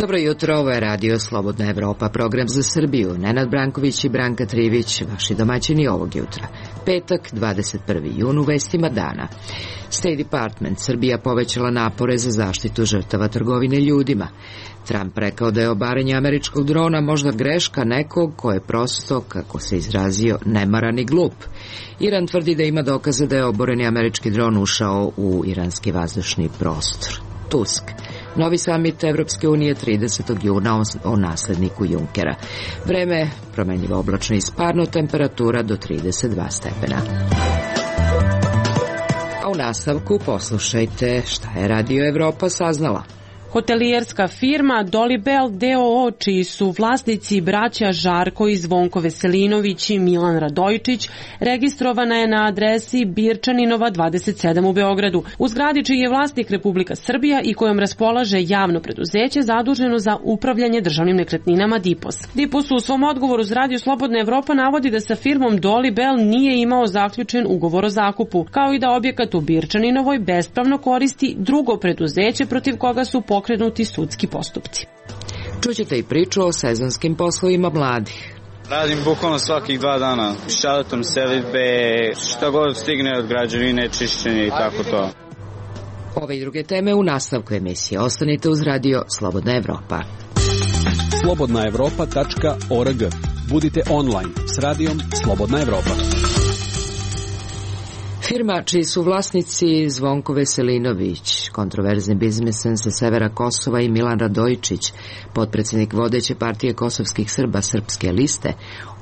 Dobro jutro, ovo je Radio Slobodna Evropa, program za Srbiju. Nenad Branković i Branka Trivić, vaši domaćini ovog jutra. Petak, 21. jun, u vestima dana. State Department, Srbija povećala napore za zaštitu žrtava trgovine ljudima. Trump rekao da je obaranje američkog drona možda greška nekog ko je prosto, kako se izrazio, nemaran i glup. Iran tvrdi da ima dokaze da je oboreni američki dron ušao u iranski vazdušni prostor. Tusk. Novi samit Evropske unije 30. juna o nasledniku Junckera. Vreme promenljivo oblačno i sparno, temperatura do 32 stepena. A u nastavku poslušajte šta je Radio Evropa saznala. Hotelijerska firma Dolibel d.o.o. čiji su vlasnici braća Žarko i Zvonko Veselinović i Milan Radojičić registrovana je na adresi Birčaninova 27 u Beogradu. U zgradi čiji je vlasnik Republika Srbija i kojom raspolaže javno preduzeće zaduženo za upravljanje državnim nekretninama DIPOS. DIPOS u svom odgovoru za Radio Slobodna Evropa navodi da sa firmom Dolibel nije imao zaključen ugovor o zakupu, kao i da objekat u Birčaninovoj bespravno koristi drugo preduzeće protiv koga su pokrenuti sudski postupci. Čućete i priču o sezonskim poslovima mladih. Radim bukvalno svakih 2 dana. Šaletom selidbe, šta god stigne od građevine, čišćenje i tako to. Ove i druge teme u nastavku emisije. Ostanite uz Radio Slobodna Evropa. slobodnaevropa.org. Budite online s Radijom Slobodna Evropa. Firma čiji su vlasnici Zvonko Veselinović, kontroverzni biznismen sa severa Kosova, i Milan Radojičić, potpredsjednik vodeće partije kosovskih Srba Srpske liste,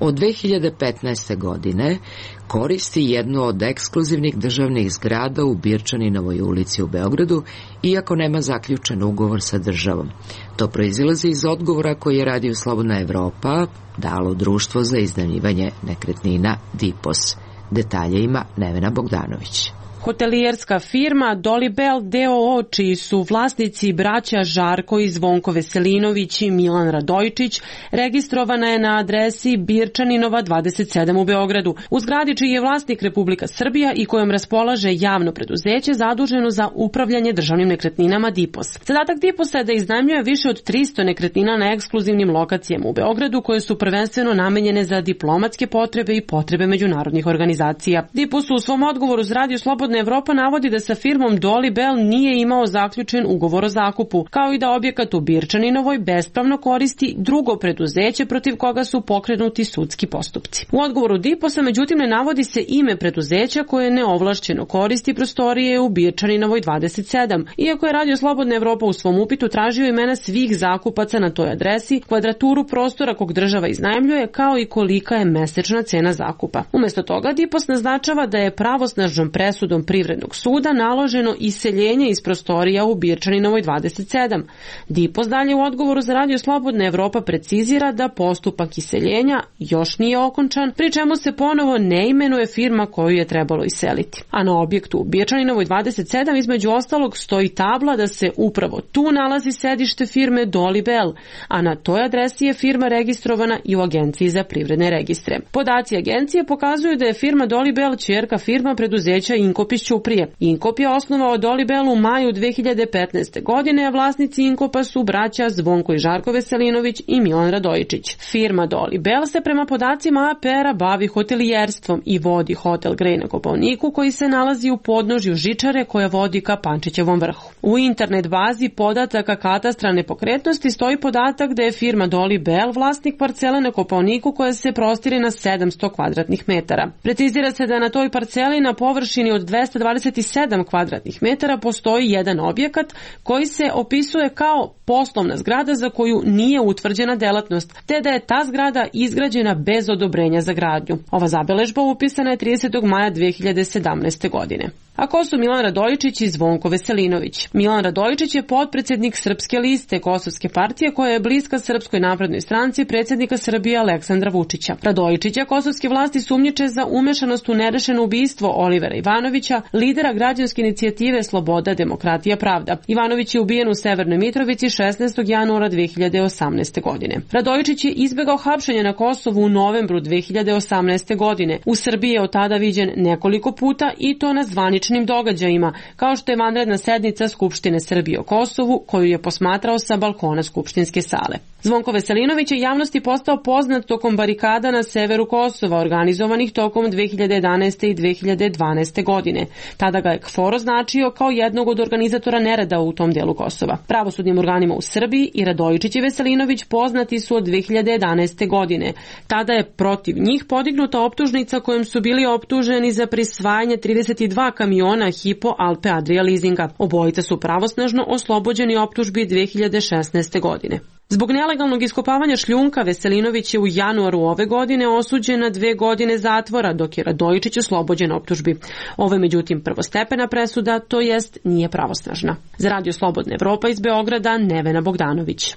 od 2015. godine koristi jednu od ekskluzivnih državnih zgrada u Birčaninovoj ulici u Beogradu, iako nema zaključen ugovor sa državom. To proizilazi iz odgovora koji je Radio Slobodna Evropa dalo Društvo za iznajmljivanje nekretnina DIPOS. Detalje ima Nevena Bogdanović. Hotelijerska firma Dolibel d.o.o. čiji su vlasnici braća Žarko i Zvonko Veselinović i Milan Radojičić registrovana je na adresi Birčaninova 27 u Beogradu. U zgradi čiji je vlasnik Republika Srbija i kojom raspolaže javno preduzeće zaduženo za upravljanje državnim nekretninama DIPOS. Zadatak DIPOS-a je da iznajmljuje više od 300 nekretnina na ekskluzivnim lokacijama u Beogradu koje su prvenstveno namenjene za diplomatske potrebe i potrebe međunarodnih organizacija. DIPOS u svom odgovoru za Radio Slobodna Evropa navodi da sa firmom Dolibel nije imao zaključen ugovor o zakupu, kao i da objekat u Birčaninovoj bespravno koristi drugo preduzeće protiv koga su pokrenuti sudski postupci. U odgovoru DIPOS-a međutim ne navodi se ime preduzeća koje neovlašćeno koristi prostorije u Birčaninovoj 27, iako je Radio Slobodna Evropa u svom upitu tražio imena svih zakupaca na toj adresi, kvadraturu prostora kog država iznajmljuje, kao i kolika je mesečna cena zakupa. Umesto toga DIPOS naznačava da je pravosnažnom presudom Privrednog suda naloženo iseljenje iz prostorija u Birčaninovoj 27. DIPOS dalje u odgovoru za Radio Slobodna Evropa precizira da postupak iseljenja još nije okončan, pri čemu se ponovo ne imenuje firma koju je trebalo iseliti. A na objektu u Birčaninovoj 27 između ostalog stoji tabla da se upravo tu nalazi sedište firme Dolibel, a na toj adresi je firma registrovana i u Agenciji za privredne registre. Podaci agencije pokazuju da je firma Dolibel ćerka firma preduzeća Inkop iz Ćuprije. Inkop je osnovao Dolibel u maju 2015. godine, a vlasnici Inkopa su braća Zvonko i Žarko Veselinović i Milan Radojičić. Firma Dolibel se prema podacima APR-a bavi hotelijerstvom i vodi hotel Grej na Kopaoniku koji se nalazi u podnožju žičare koja vodi ka Pančićevom vrhu. U internet bazi podataka katastra nepokretnosti stoji podatak da je firma Dolibel vlasnik parcele na Kopaoniku koja se prostire na 700 kvadratnih metara. Precizira se da na toj parceli na površini od 227 kvadratnih metara postoji jedan objekat koji se opisuje kao poslovna zgrada za koju nije utvrđena delatnost, te da je ta zgrada izgrađena bez odobrenja za gradnju. Ova zabeležba upisana je 30. maja 2017. godine. A ko su Milan Radojičić i Zvonko Veselinović? Milan Radojičić je potpredsjednik Srpske liste Kosovske partije koja je bliska Srpskoj naprednoj stranci predsjednika Srbije Aleksandra Vučića. Radojičića kosovske vlasti sumnjiče za umešanost u nerešeno ubistvo Olivera Ivanovića Ivanovića, lidera građanske inicijative Sloboda, demokratija, pravda. Ivanović je ubijen u Severnoj Mitrovici 16. januara 2018. godine. Radojičić je izbegao hapšenje na Kosovu u novembru 2018. godine. U Srbiji je od tada viđen nekoliko puta i to na zvaničnim događajima, kao što je vanredna sednica Skupštine Srbije o Kosovu, koju je posmatrao sa balkona skupštinske sale. Zvonko Veselinović je javnosti postao poznat tokom barikada na severu Kosova, organizovanih tokom 2011. i 2012. godine. Tada ga je KFOR označio kao jednog od organizatora nereda u tom delu Kosova. Pravosudnim organima u Srbiji i Radojičić i Veselinović poznati su od 2011. godine. Tada je protiv njih podignuta optužnica kojom su bili optuženi za prisvajanje 32 kamiona Hypo Alpe Adria leasinga. Obojica su pravosnažno oslobođeni optužbi 2016. godine. Zbog nelegalnog iskopavanja šljunka Veselinović je u januaru ove godine osuđen na 2 godine zatvora, dok je Radojičić oslobođen optužbi. Ovo je međutim prvostepena presuda, to jest nije pravosnažna. Za Radio Slobodna Evropa iz Beograda, Nevena Bogdanović.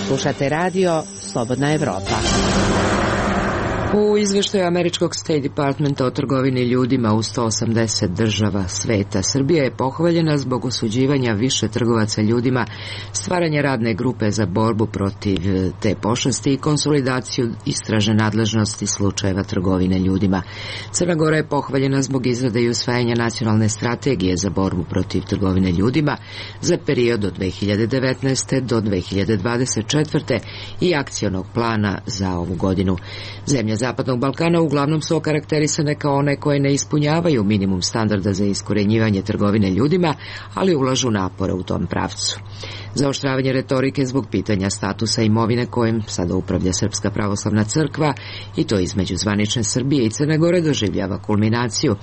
Slušate radio Slobodna Evropa. U izveštaju američkog State Departmenta o trgovini ljudima u 180 država sveta, Srbija je pohvaljena zbog osuđivanja više trgovaca ljudima, stvaranja radne grupe za borbu protiv te pošasti i konsolidaciju istražne nadležnosti slučajeva trgovine ljudima. Crna Gora je pohvaljena zbog izrade i usvajanja nacionalne strategije za borbu protiv trgovine ljudima za period od 2019. do 2024. i akcionog plana za ovu godinu. Zemlje Zapadnog Balkana uglavnom su okarakterisane kao one koje ne ispunjavaju minimum standarda za iskorenjivanje trgovine ljudima, ali ulažu napore u tom pravcu. Zaoštravanje retorike zbog pitanja statusa imovine kojim sada upravlja Srpska pravoslavna crkva, i to između zvanične Srbije i Crne Gore, doživljava kulminaciju,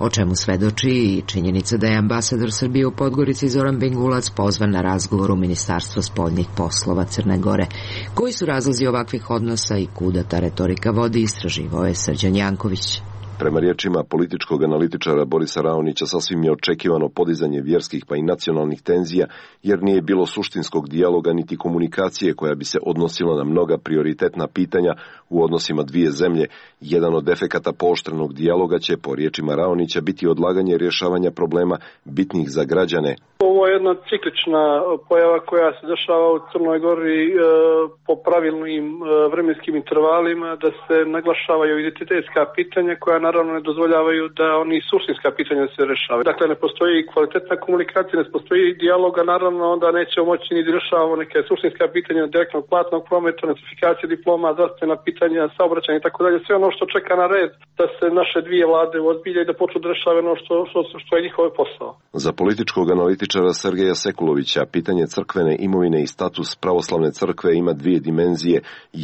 o čemu svedoči i činjenica da je ambasador Srbije u Podgorici Zoran Bengulac pozvan na razgovor u Ministarstvo spoljnih poslova Crne Gore. Koji su razlozi ovakvih odnosa i kuda ta retorika vodi, istraživao je Srđan Janković. Prema riječima političkog analitičara Borisa Raonića, sasvim je očekivano podizanje vjerskih pa i nacionalnih tenzija, jer nije bilo suštinskog dijaloga niti komunikacije koja bi se odnosila na mnoga prioritetna pitanja u odnosima dvije zemlje. Jedan od efekata pooštrenog dijaloga će, po riječima Raonića, biti odlaganje rješavanja problema bitnih za građane. Ovo je jedna ciklična pojava koja se dešava u Crnoj Gori po pravilnim vremenskim intervalima, da se naglašavaju identitetska pitanja koja naravno ne dozvoljavaju da oni suštinska pitanja se rešavaju. Dakle, ne postoji kvalitetna komunikacija, ne postoji dijaloga, naravno onda nećemo moći ni da rešavamo neke suštinska pitanja direktnog platnog prometa, notifikacije diploma, zdravstvena pitanja, saobraćanja i tako dalje. Sve ono što čeka na red da se naše dvije vlade ozbilje i da počnu da rešavaju ono što je njihov posao. Za političkog analitičara Sergeja Sekulovića pitanje crkvene imovine i status pravoslavne crkve ima dvije dimenzije.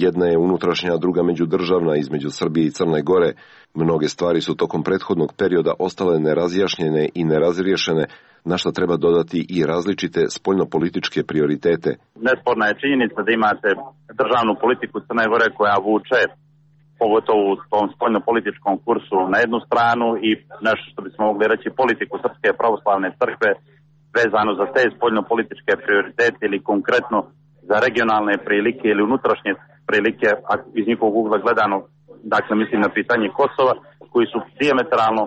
Jedna je unutrašnja, a druga međudržavna, između Srbije i Crne Gore. Mnoge stvari su tokom prethodnog perioda ostale nerazjašnjene i nerazriješene, na što treba dodati i različite spoljnopolitičke prioritete. Nesporna je činjenica da imate državnu politiku Crne Gore koja vuče, pogotovo u tom spoljnopolitičkom kursu, na jednu stranu, i nešto što bismo mogli reći politiku Srpske pravoslavne crkve vezano za te spoljnopolitičke prioritete ili konkretno za regionalne prilike ili unutrašnje prilike, a iz njihovog ugla gledano, dakle mislim na pitanje Kosova, koji su dijametralno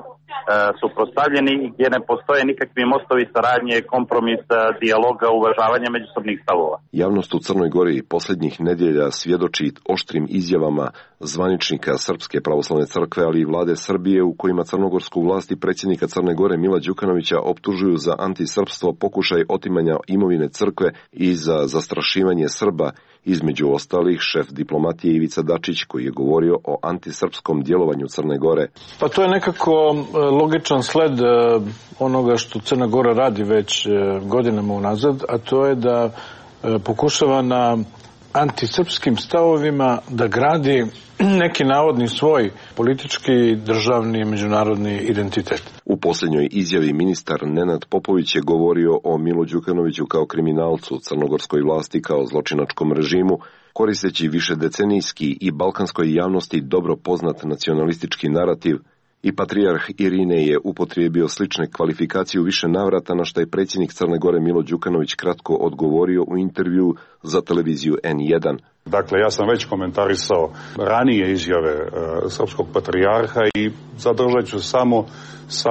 suprotstavljeni i gdje ne postoje nikakvi mostovi saradnje, kompromisa, dijaloga, uvažavanja međusobnih stavova. Javnost u Crnoj Gori posljednjih nedjelja svjedoči oštrim izjavama zvaničnika Srpske pravoslavne crkve, ali i vlade Srbije, u kojima crnogorsku vlast i predsjednika Crne Gore Mila Đukanovića optužuju za antisrpstvo, pokušaj otimanja imovine crkve i za zastrašivanje Srba. Između ostalih, šef diplomatije Ivica Dačić, koji je govorio o antisrpskom djelovanju Crne Gore. Pa to je nekako logičan sled onoga što Crna Gora radi već godinama unazad, a to je da pokušava na antisrpskim stavovima da gradi neki navodni svoj politički, državni, međunarodni identitet. U posljednjoj izjavi ministar Nenad Popović je govorio o Milu Đukanoviću kao kriminalcu, crnogorskoj vlasti kao zločinačkom režimu, koristeći višedecenijski i balkanskoj javnosti dobro poznat nacionalistički narativ. I patrijarh Irine je upotrijebio slične kvalifikacije u više navrata, na što je predsjednik Crne Gore Milo Đukanović kratko odgovorio u intervju za televiziju N1. Dakle, ja sam već komentarisao ranije izjave srpskog patrijarha i zadržat ću samo sa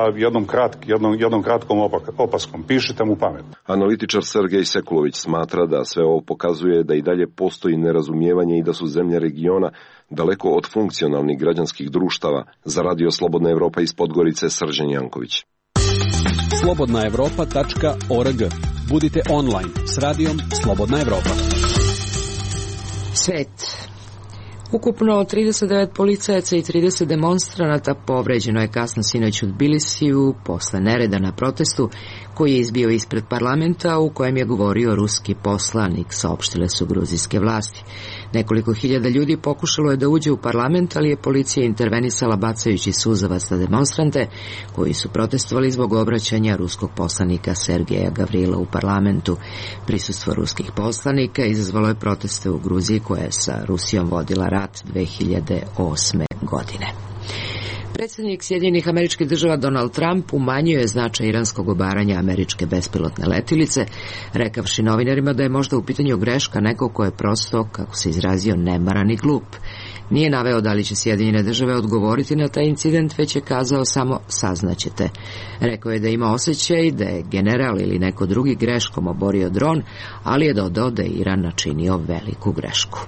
jednom kratkom opaskom. Pišite mu pamet. Analitičar Sergej Sekulović smatra da sve ovo pokazuje da i dalje postoji nerazumijevanje i da su zemlje regiona daleko od funkcionalnih građanskih društava. Za Radio Slobodna Evropa iz Podgorice, Srđan Janković. slobodnaevropa.org. Budite online s radijom Slobodna Evropa. Svet. Ukupno 39 policajaca i 30 demonstranata povređeno je kasno sinoć u Tbilisiju posle nereda na protestu koji je izbio ispred parlamenta u kojem je govorio ruski poslanik, saopštile su gruzijske vlasti. Nekoliko hiljada ljudi pokušalo je da uđe u parlament, ali je policija intervenisala bacajući suzavac na demonstrante koji su protestovali zbog obraćanja ruskog poslanika Sergeja Gavrila u parlamentu. Prisustvo ruskih poslanika izazvalo je proteste u Gruziji koja je sa Rusijom vodila rat 2008. godine. Predsjednik Sjedinjenih Američkih Država Donald Trump umanjio je značaj iranskog obaranja američke bespilotne letilice, rekavši novinarima da je možda u pitanju greška nekog ko je prosto, kako se izrazio, nemaran i glup. Nije naveo da li će Sjedinjene Države odgovoriti na taj incident, već je kazao samo saznaćete. Rekao je da ima osjećaj da je general ili neko drugi greškom oborio dron, ali je dodao da je Iran načinio veliku grešku.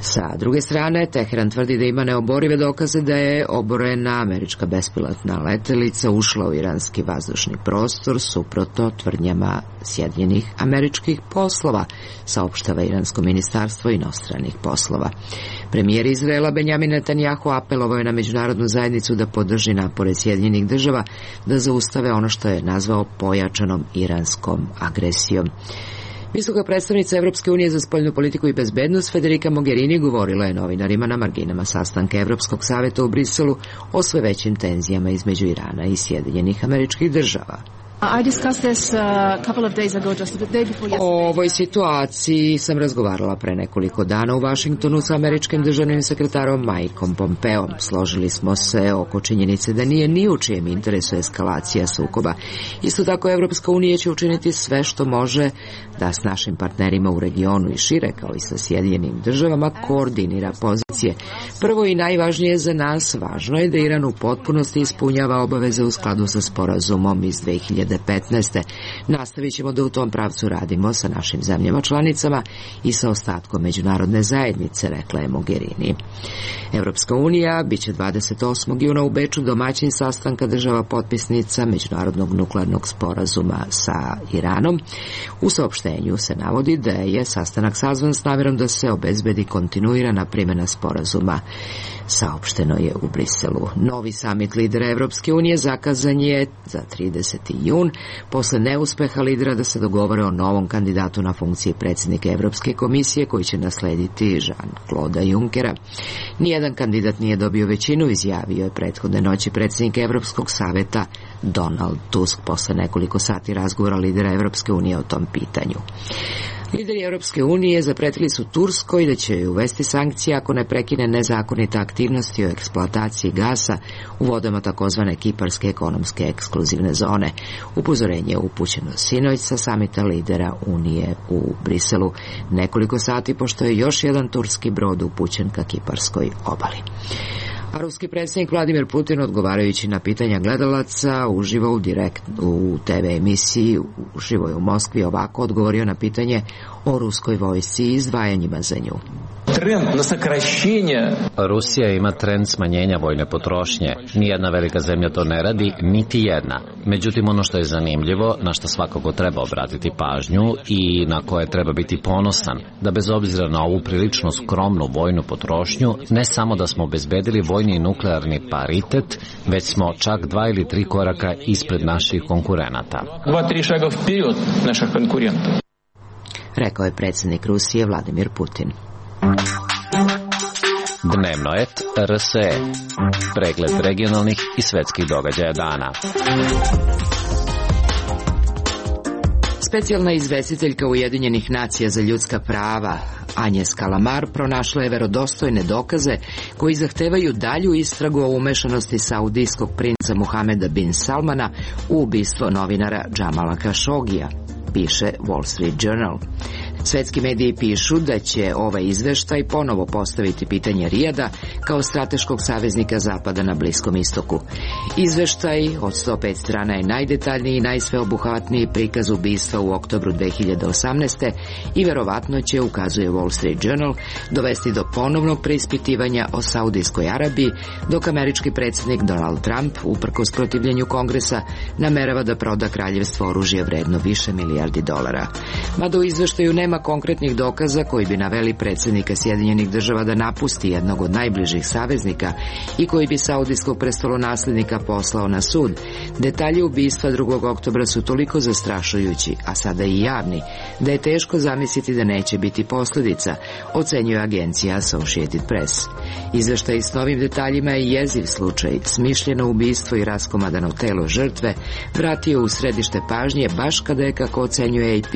Sa druge strane, Teheran tvrdi da ima neoborive dokaze da je oborena američka bespilotna letelica ušla u iranski vazdušni prostor suprotno tvrdnjama Sjedinjenih američkih poslova, saopštava iransko ministarstvo inostranih poslova. Premijer Izraela Benjamin Netanjahu apelovao je na međunarodnu zajednicu da podrži napore Sjedinjenih Država da zaustave ono što je nazvao pojačanom iranskom agresijom. Visoka predstavnica Evropske unije za spoljnu politiku i bezbednost Federica Mogherini govorila je novinarima na marginama sastanka Evropskog saveta u Briselu o sve većim tenzijama između Irana i Sjedinjenih Američkih Država. O ovoj situaciji sam razgovarala pre nekoliko dana u Vašingtonu sa američkim državnim sekretarom Mikeom Pompeom. Složili smo se oko činjenice da nije ni u čijem interesu eskalacija sukoba. Isto tako Evropska unija će učiniti sve što može da s našim partnerima u regionu i šire, kao i sa Sjedinjenim Državama, koordinira pozicije. Prvo i najvažnije za nas, važno je da Iran u potpunosti ispunjava obaveze u skladu sa sporazumom iz 2015. Nastavit ćemo da u tom pravcu radimo sa našim zemljama članicama i sa ostatkom međunarodne zajednice, rekla je Mogherini. Evropska unija biće 28. juna u Beču domaćin sastanka država potpisnica Međunarodnog nuklearnog sporazuma sa Iranom. U saopštenju se navodi da je sastanak sazvan s namjerom da se obezbedi kontinuirana primjena sporazuma. Saopšteno je u Briselu. Novi samit lidera Evropske unije zakazan je za 30. jun, posle neuspeha lidera da se dogovore o novom kandidatu na funkciji predsjednika Evropske komisije koji će naslediti Jean-Claude Junckera. Nijedan kandidat nije dobio većinu, izjavio je prethodne noći predsjednik Evropskog saveta Donald Tusk posle nekoliko sati razgovora lidera Evropske unije o tom pitanju. Lideri Europske unije zapretili su Turskoj da će joj uvesti sankcije ako ne prekine nezakonite aktivnosti o eksploataciji gasa u vodama takozvane Kiparske ekonomske ekskluzivne zone. Upozorenje je upućeno sinoć sa samita lidera Unije u Briselu, nekoliko sati pošto je još jedan turski brod upućen ka Kiparskoj obali. A ruski predsjednik Vladimir Putin, odgovarajući na pitanja gledalaca uživo u TV emisiji uživo je u Moskvi, ovako odgovorio na pitanje o ruskoj vojsci i izdvajanjima za nju. Rusija ima trend smanjenja vojne potrošnje. Nijedna velika zemlja to ne radi, niti jedna. Međutim, ono što je zanimljivo, na što svakako treba obratiti pažnju i na koje treba biti ponosan, da bez obzira na ovu prilično skromnu vojnu potrošnju, ne samo da smo obezbedili vojni i nuklearni paritet, već smo čak 2 ili 3 koraka ispred naših konkurenata. 2-3 šaga vperiod naših konkurenta. Rekao je predsjednik Rusije Vladimir Putin. Dnevnoet RSE. Pregled regionalnih i svetskih događaja dana. Specijalna izvestiteljka Ujedinjenih nacija za ljudska prava Agnes Kalamar pronašla je verodostojne dokaze koji zahtevaju dalju istragu o umešanosti saudijskog princa Muhameda bin Salmana u ubistvo novinara Džamala Kašogija, piše Wall Street Journal. Svetski mediji pišu da će ovaj izveštaj ponovo postaviti pitanje Rijada kao strateškog saveznika Zapada na Bliskom istoku. Izveštaj od 105 strana je najdetaljniji i najsveobuhvatniji prikaz ubistva u oktobru 2018. i verovatno će, ukazuje Wall Street Journal, dovesti do ponovnog preispitivanja o Saudijskoj Arabiji, dok američki predsjednik Donald Trump, uprkos protivljenju Kongresa, namerava da proda kraljevstvo oružje vredno više milijardi dolara. Mada u izveštaju nema konkretnih dokaza koji bi naveli predsjednika Sjedinjenih Država da napusti jednog od najbližih saveznika i koji bi saudijskog prestolonaslednika poslao na sud, detalji ubistva 2. oktobra su toliko zastrašujući, a sada i javni, da je teško zamisliti da neće biti posljedica, ocenjuje agencija Associated Press. Izveštaj s novim detaljima je jeziv slučaj, smišljeno ubistvo i raskomadano telo žrtve vratio u središte pažnje baš kada je, kako ocenjuje AP,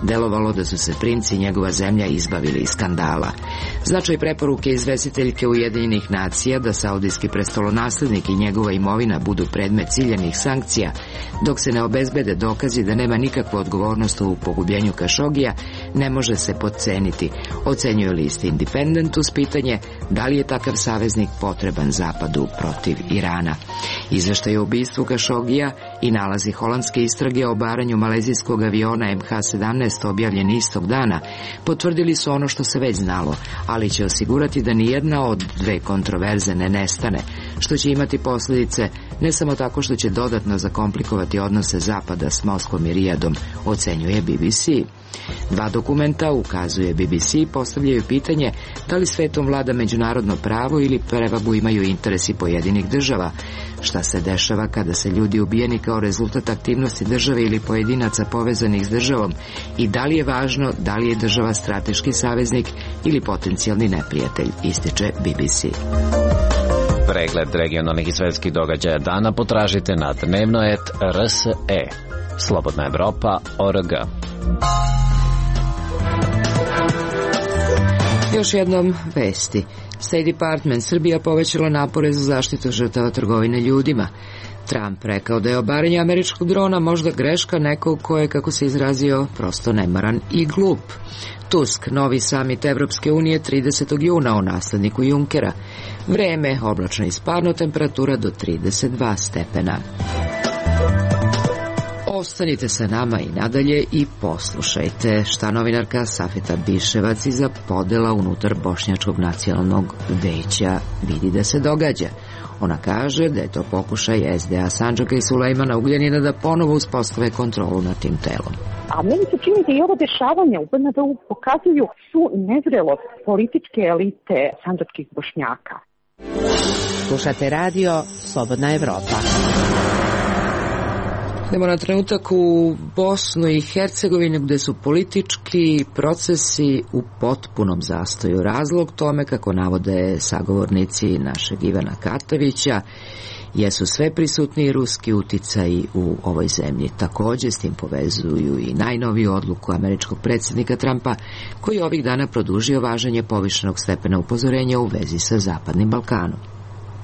delovalo da su se princ i njegova zemlja izbavili iz skandala. Značaj preporuke izvestiteljke Ujedinjenih nacija da saudijski prestolonaslednik i njegova imovina budu predmet ciljanih sankcija, dok se ne obezbede dokazi da nema nikakvu odgovornost u pogubljenju Kašogija, ne može se potceniti, ocenjuje list Independent uz pitanje da li je takav saveznik potreban Zapadu protiv Irana. Izveštaj o ubistvu Kašogija i nalazi holandske istrage o obaranju malezijskog aviona MH17 objavljeni istog dana potvrdili su ono što se već znalo, ali će osigurati da nijedna od dve kontroverze ne nestane, što će imati posljedice ne samo tako što će dodatno zakomplikovati odnose Zapada s Moskvom i Rijadom, ocenjuje BBC. Dva dokumenta, ukazuje BBC, postavljaju pitanje da li svetom vlada međunarodno pravo ili prevagu imaju interesi pojedinih država, šta se dešava kada se ljudi ubijeni kao rezultat aktivnosti države ili pojedinaca povezanih s državom i da li je važno da li je država strateški saveznik ili potencijalni neprijatelj, ističe BBC. Pregled regionalnih i svetskih događaja dana potražite na dnevnoet.rse. Slobodna Evropa.org. Još jednom vesti. State Department Srbija povećala napore za zaštitu žrtava trgovine ljudima. Trump rekao da je obaranje američkog drona možda greška nekog ko je, kako se izrazio, prosto nemaran i glup. Tusk, novi samit Evropske unije 30. juna o nasledniku Junckera. Vreme, oblačno i sparno, temperatura do 32 stepena. Ostanite sa nama i nadalje i poslušajte šta novinarka Safeta Biševac iza podela unutar Bošnjačkog nacionalnog veća vidi da se događa. Ona kaže da je to pokušaj SDA Sandžaka i Sulejmana Ugljanina da ponovo uspostave kontrolu nad tim telom. A meni se čini da i ovo dešavanje u BND-u pokazuju su nezrelost političke elite sandžačkih Bošnjaka. Slušate radio Slobodna Evropa. Idemo na trenutak u Bosnu i Hercegovinu gde su politički procesi u potpunom zastoju. Razlog tome, kako navode sagovornici našeg Ivana Katavića, jesu sve prisutniji ruski uticaji u ovoj zemlji. Također s tim povezuju i najnoviju odluku američkog predsjednika Trumpa, koji ovih dana produžio važenje povišenog stepena upozorenja u vezi sa Zapadnim Balkanom.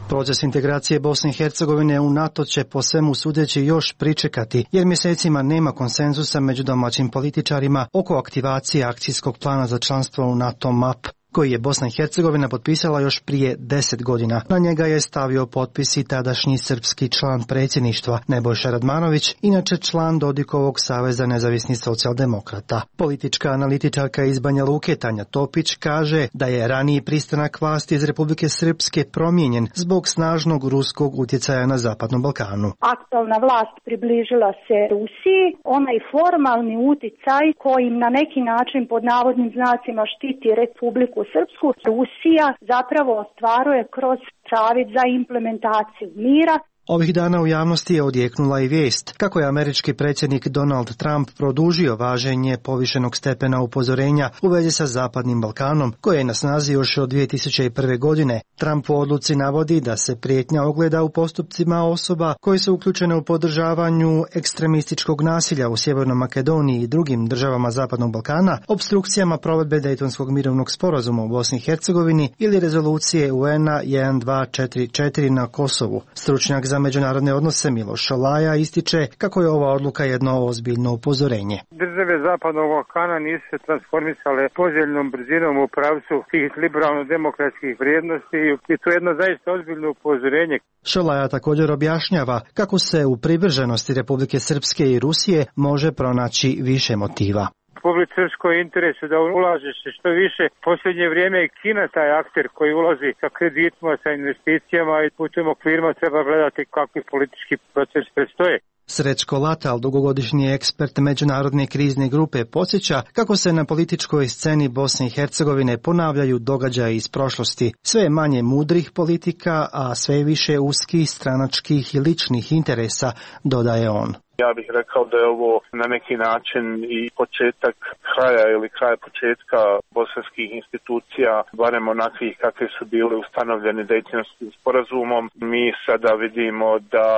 Proces integracije Bosne i Hercegovine u NATO će po svemu sudeći još pričekati, jer mjesecima nema konsenzusa među domaćim političarima oko aktivacije akcijskog plana za članstvo u NATO MAP, koji je Bosna i Hercegovina potpisala još prije 10 godina. Na njega je stavio potpis i tadašnji srpski član predsjedništva Nebojša Radmanović, inače član Dodikovog saveza nezavisnih socijaldemokrata. Politička analitičarka iz Banja Luke Tanja Topić kaže da je raniji pristanak vlasti iz Republike Srpske promijenjen zbog snažnog ruskog utjecaja na Zapadnom Balkanu. Aktualna vlast približila se Rusiji, onaj formalni utjecaj kojim na neki način pod navodnim znacima štiti Republiku Srpsku, Rusija zapravo ostvaruje kroz savjet za implementaciju mira. Ovih dana u javnosti je odjeknula i vijest kako je američki predsjednik Donald Trump produžio važenje povišenog stepena upozorenja u vezi sa Zapadnim Balkanom, koje je na snazi još od 2001. godine. Trump u odluci navodi da se prijetnja ogleda u postupcima osoba koje su uključene u podržavanju ekstremističkog nasilja u Sjevernoj Makedoniji i drugim državama Zapadnog Balkana, opstrukcijama provedbe Dejtonskog mirovnog sporazuma u Bosni i Hercegovini ili rezolucije UN-a 1244 na Kosovu. Stručnjak za za međunarodne odnose Miloš Šolaja ističe kako je ova odluka jedno ozbiljno upozorenje. Države Zapadnog Balkana nisu se transformisale poželjnom brzinom u pravcu tih liberalno-demokratskih vrijednosti i to je jedno zaista ozbiljno upozorenje. Šolaja također objašnjava kako se u privrženosti Republike Srpske i Rusije može pronaći više motiva. Republike Srpskoj interesu da ulaže se što više. Posljednje vrijeme je Kina taj akter koji ulazi sa kreditima, sa investicijama i u tim okvirima treba gledati kakvi politički proces predstoje. Srećko Latal, dugogodišnji ekspert međunarodne krizne grupe, podsjeća kako se na političkoj sceni Bosne i Hercegovine ponavljaju događaji iz prošlosti. Sve je manje mudrih politika, a sve više uskih, stranačkih i ličnih interesa, dodaje on. Ja bih rekao da je ovo na neki način i početak kraja ili kraj početka bosanskih institucija, barem onakvih kakve su bile ustanovljene Dejtonskim sporazumom. Mi sada vidimo da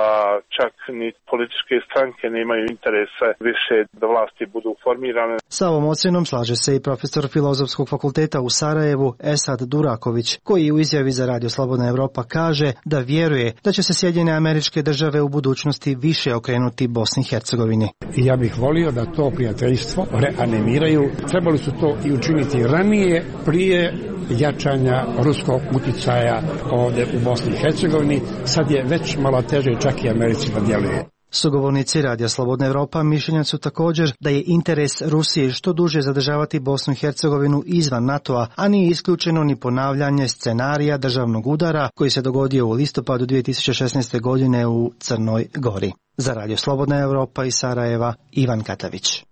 čak ni političke stranke nemaju interesa više da vlasti budu formirane. Sa ovom ocjenom slaže se i profesor Filozofskog fakulteta u Sarajevu Esad Duraković, koji u izjavi za Radio Slobodna Evropa kaže da vjeruje da će se Sjedinjene Američke Države u budućnosti više okrenuti Bosni i Hercegovini. Ja bih volio da to prijateljstvo reanimiraju. Trebali su to i učiniti ranije, prije jačanja ruskog uticaja ovdje u Bosni i Hercegovini. Sad je već malo teže čak i Americi da djeluje. Sugovornici Radija Slobodna Evropa mišljenja su također da je interes Rusije što duže zadržavati Bosnu i Hercegovinu izvan NATO-a, a nije isključeno ni ponavljanje scenarija državnog udara koji se dogodio u listopadu 2016. godine u Crnoj Gori. Za Radio Slobodna Evropa iz Sarajeva, Ivan Katavić.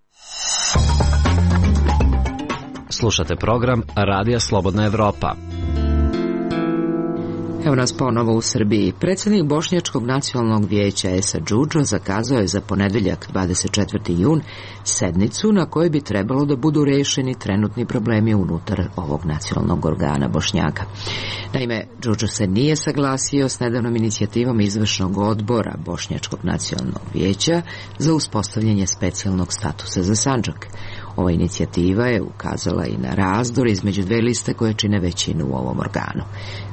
Slušate program Radija Slobodna Evropa. Evo nas ponovo u Srbiji. Predsjednik Bošnjačkog nacionalnog vijeća Esad Džudžo zakazao je za ponedjeljak 24. jun sednicu na kojoj bi trebalo da budu rešeni trenutni problemi unutar ovog nacionalnog organa Bošnjaka. Naime, Džudžo se nije saglasio s nedavnom inicijativom izvršnog odbora Bošnjačkog nacionalnog vijeća za uspostavljanje specijalnog statusa za Sandžak. Ova inicijativa je ukazala i na razdor između dve liste koje čine većinu u ovom organu.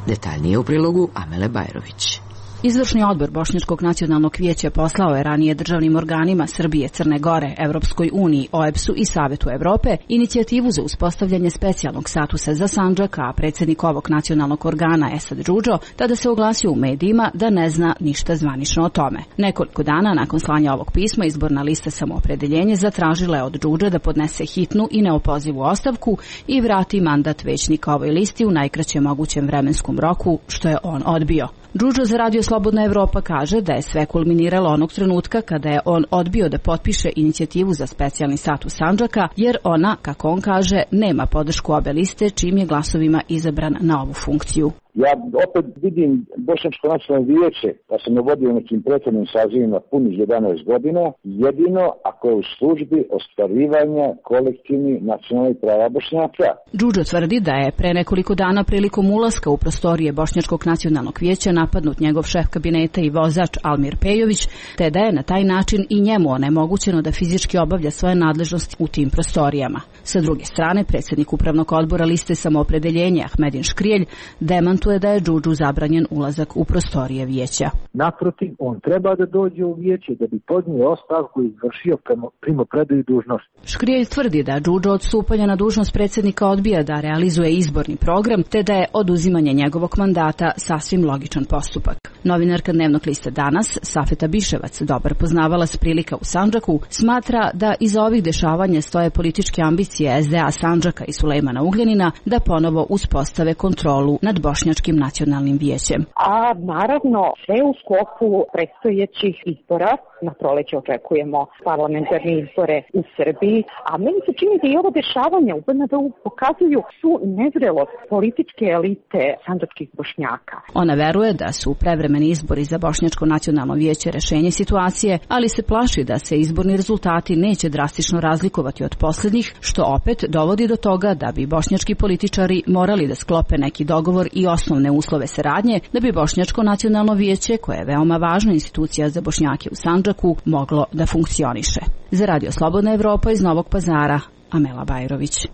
Detaljnije u prilogu Amele Bajrović. Izvršni odbor Bošnjačkog nacionalnog vijeća poslao je ranije državnim organima Srbije, Crne Gore, Evropskoj uniji, OEBS-u i Savetu Evrope inicijativu za uspostavljanje specijalnog statusa za Sandžak, a predsjednik ovog nacionalnog organa Esad Džudžo tada se oglasio u medijima da ne zna ništa zvanično o tome. Nekoliko dana nakon slanja ovog pisma izborna lista Samoopredeljenje zatražila je od Džudže da podnese hitnu i neopozivu ostavku i vrati mandat većnika ovoj listi u najkraćem mogućem vremenskom roku, što je on odbio. Džudžo za Radio Slobodna Evropa kaže da je sve kulminiralo onog trenutka kada je on odbio da potpiše inicijativu za specijalni status Sandžaka, jer ona, kako on kaže, nema podršku obe liste, čim je glasovima izabran na ovu funkciju. Ja opet vidim Bošnjačko nacionalno vijeće, da sam vodio nekim prethodnim sazivima punih 11 godina, jedino ako je u službi ostvarivanja kolektivnih nacionalnih prava Bošnjaka. Džudžo tvrdi da je pre nekoliko dana prilikom ulaska u prostorije Bošnjačkog nacionalnog vijeća napadnut njegov šef kabineta i vozač Almir Pejović, te da je na taj način i njemu onemogućeno da fizički obavlja svoje nadležnosti u tim prostorijama. Sa druge strane, predsjednik upravnog odbora liste Samoopredeljenja Ahmedin Škrijelj demantuje da je Džudžu zabranjen ulazak u prostorije vijeća. Naprotiv, on treba da dođe u vijeće da bi podnio ostavku i izvršio primopredaju dužnosti. Škrijelj tvrdi da Džudžo od stupanja na dužnost predsjednika odbija da realizuje izborni program, te da je oduzimanje njegovog mandata sasvim logičan postupak. Novinarka dnevnog lista Danas, Safeta Biševac, dobar poznavalac prilika u Sandžaku, smatra da iza ovih dešavanja stoje političke ambicije SDA Sandžaka i Sulejmana Ugljanina da ponovo uspostave kontrolu nad Bošnjačkim nacionalnim vijećem. A naravno sve u sklopu predstojećih izbora. Na proleće očekujemo parlamentarne izbore u Srbiji, a meni se čini da i ovo dešavanje u BND-u pokazuju su nezrelost političke elite sandžačkih Bošnjaka. Ona veruje da su prevremeni izbori za Bošnjačko nacionalno vijeće rešenje situacije, ali se plaši da se izborni rezultati neće drastično razlikovati od posljednjih, što opet dovodi do toga da bi bošnjački političari morali da sklope neki dogovor i osnovne uslove saradnje da bi Bošnjačko nacionalno vijeće, koje je veoma važna institucija za Bošnjake u Sandžaku, moglo da funkcioniše. Za Radio Slobodna Evropa iz Novog Pazara, Amela Bajrović.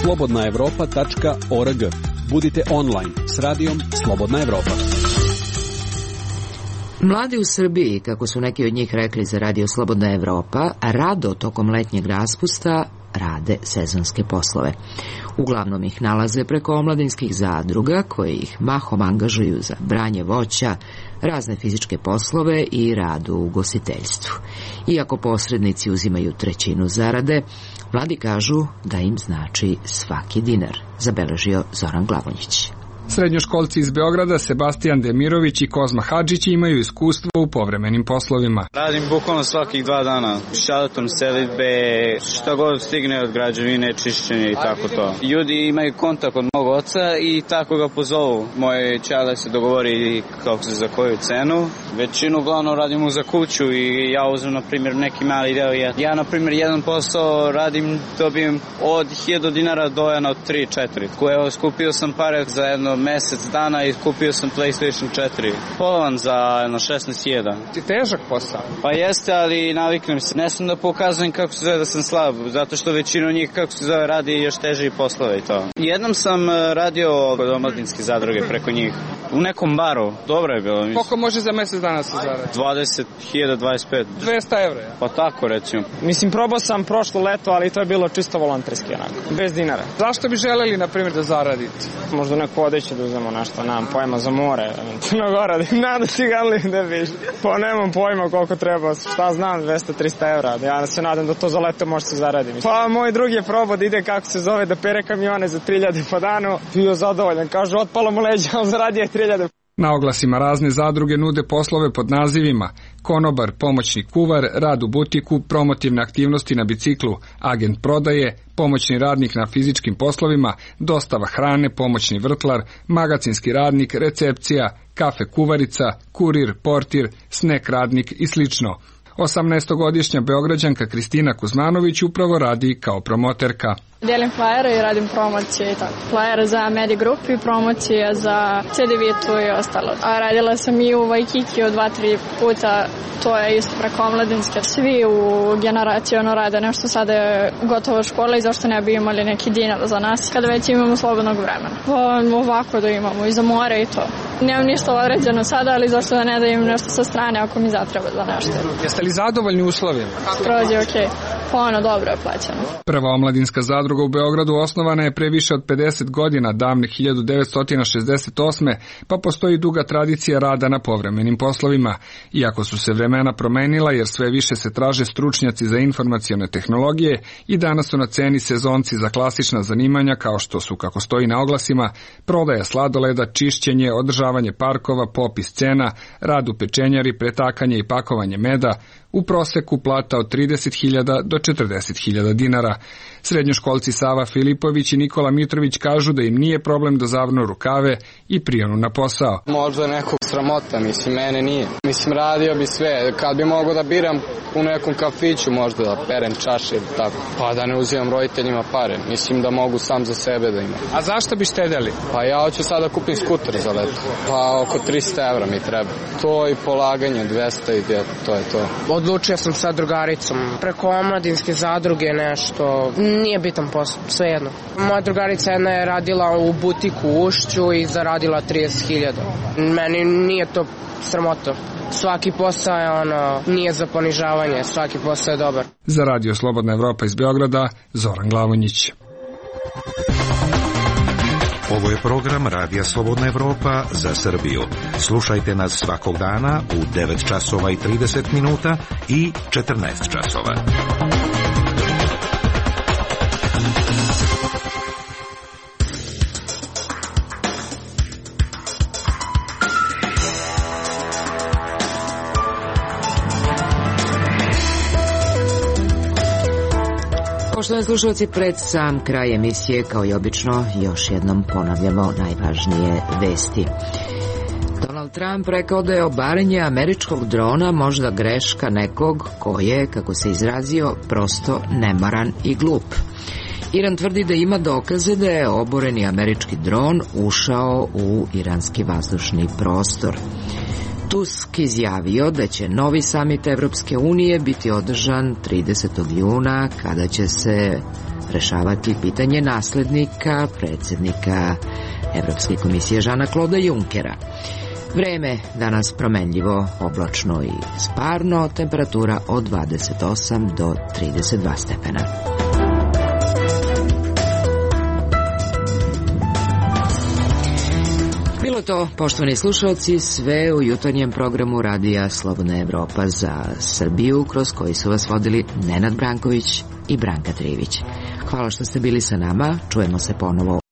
slobodnaevropa.org. Budite online s Radijom Slobodna Evropa. Mladi u Srbiji, kako su neki od njih rekli za Radio Slobodna Evropa, rado tokom letnjeg raspusta rade sezonske poslove. Uglavnom ih nalaze preko omladinskih zadruga koje ih mahom angažuju za branje voća, razne fizičke poslove i rad u ugostiteljstvu. Iako posrednici uzimaju trećinu zarade, mladi kažu da im znači svaki dinar, zabeležio Zoran Glavonjić. Srednjoškolci iz Beograda Sebastijan Demirović i Kozma Hadžić imaju iskustvo u povremenim poslovima. Radim bukvalno svakih 2 dana. Šalatom selidbe, šta god stigne od građevine, čišćenje i tako to. Ljudi imaju kontakt od mog oca i tako ga pozovu. Moje čale se dogovori kako se za koju cenu. Većinu uglavnom radimo za kuću i ja uzmem, na primjer, neki mali deo. Ja, na primjer, jedan posao radim, dobijem od 1000 dinara do 3-4. Koje skupio sam pare za jedno mesec dana i kupio sam PlayStation 4. Polovan za 16.000. Ti težak posao? Pa jeste, ali naviknem se. Ne sam da pokazujem kako se zove da sam slab, zato što većinu njih, kako se zove, radi još teži poslove i to. Jednom sam radio kod omladinske zadruge preko njih. U nekom baru. Dobro je bilo. Mislim. Koliko može za mesec dana se zaradi? 20.000, 25. 200 evra, ja? Pa tako, recimo. Mislim, probao sam prošlo leto, ali to je bilo čisto volonterski, onako. Bez dinara. Zašto bi želeli, na primjer, da zaradite? Možda neko odeće da uzemo nešto, nemam pojma za more, Crnogora, nadam da ciganli da biš. Pa nemam pojma koliko treba, šta znam, 200-300 evra, ja se nadam da to za leto može se zaraditi. Pa moj drugi je probao da ide, kako se zove, da pere kamione za 3.000 po danu, bio zadovoljan, kaže, otpalo mu leđa, ali zaradio je 3.000. Na oglasima razne zadruge nude poslove pod nazivima konobar, pomoćni kuvar, rad u butiku, promotivne aktivnosti na biciklu, agent prodaje, pomoćni radnik na fizičkim poslovima, dostava hrane, pomoćni vrtlar, magacinski radnik, recepcija, kafe kuvarica, kurir, portir, snek radnik i slično. 18-godišnja Beograđanka Kristina Kuzmanović upravo radi kao promoterka. Delim flajere i radim promocije i tako. Flajere za Medi Group i promocije za CD Vitu i ostalo. A radila sam i u Waikiki od 2-3 puta, to je isto preko omladinske. Svi u generaciji rade nešto, sada je gotovo škola i zašto ne bi imali neki dinar za nas kada već imamo slobodnog vremena. Pa ovako da imamo i za more i to. Nemam ništa određeno sada, ali zašto da ne da im nešto sa strane ako mi zatreba za nešto. Jeste li zadovoljni uslovima? Skroz je okej. Pa dobro je plaćeno. Prva omladinska zadruga u Beogradu osnovana je pre više od 50 godina, davne 1968. pa postoji duga tradicija rada na povremenim poslovima. Iako su se vremena promenila jer sve više se traže stručnjaci za informacione tehnologije i danas su na ceni sezonci za klasična zanimanja kao što su, kako stoji na oglasima, prodaja sladoleda, čišćenje, održavanje parkova, popis cena, rad u pečenjari, pretakanje i pakovanje meda, u proseku plata od 30.000 do 40.000 dinara. Srednjoškolci Sava Filipović i Nikola Mitrović kažu da im nije problem da zavrnu rukave i prijonu na posao. Možda nekog sramota, mislim, mene nije. Mislim, radio bi sve. Kad bi mogao da biram u nekom kafiću, možda da perem čaše ili tako, pa da ne uzimam roditeljima pare. Mislim da mogu sam za sebe da imam. A zašto bi štedeli? Pa ja hoću sada kupim skuter za leto. Pa oko 300 evra mi treba. To i polaganje 200 i to je to. Odlučio sam sa drugaricom. Preko omladinske zadruge nešto, nije bitan posao, svejedno. Moja drugarica jedna je radila u butiku u Ušću i zaradila 30.000. Meni nije to sramota. Svaki posao je nije za ponižavanje, svaki posao je dobar. Za Radio Slobodna Evropa iz Beograda, Zoran Glavonjić. Ovo je program Radija Slobodna Evropa za Srbiju. Slušajte nas svakog dana u 9 časova i 30 minuta i 14 časova. Poštovani slušalci, pred sam kraj emisije, kao i obično, još jednom ponavljamo najvažnije vesti. Donald Trump rekao da je obaranje američkog drona možda greška nekog ko je, kako se izrazio, prosto nemaran i glup. Iran tvrdi da ima dokaze da je oboreni američki dron ušao u iranski vazdušni prostor. Tusk izjavio da će novi samit Evropske unije biti održan 30. juna, kada će se rešavati pitanje naslednika predsjednika Evropske komisije Žana Kloda Junkera. Vreme danas promenljivo, oblačno i sparno, temperatura od 28 do 32 stepena. Bilo to, poštovani slušalci, sve u jutarnjem programu Radija Slobodna Evropa za Srbiju, kroz koji su vas vodili Nenad Branković i Branka Trivić. Hvala što ste bili sa nama, čujemo se ponovo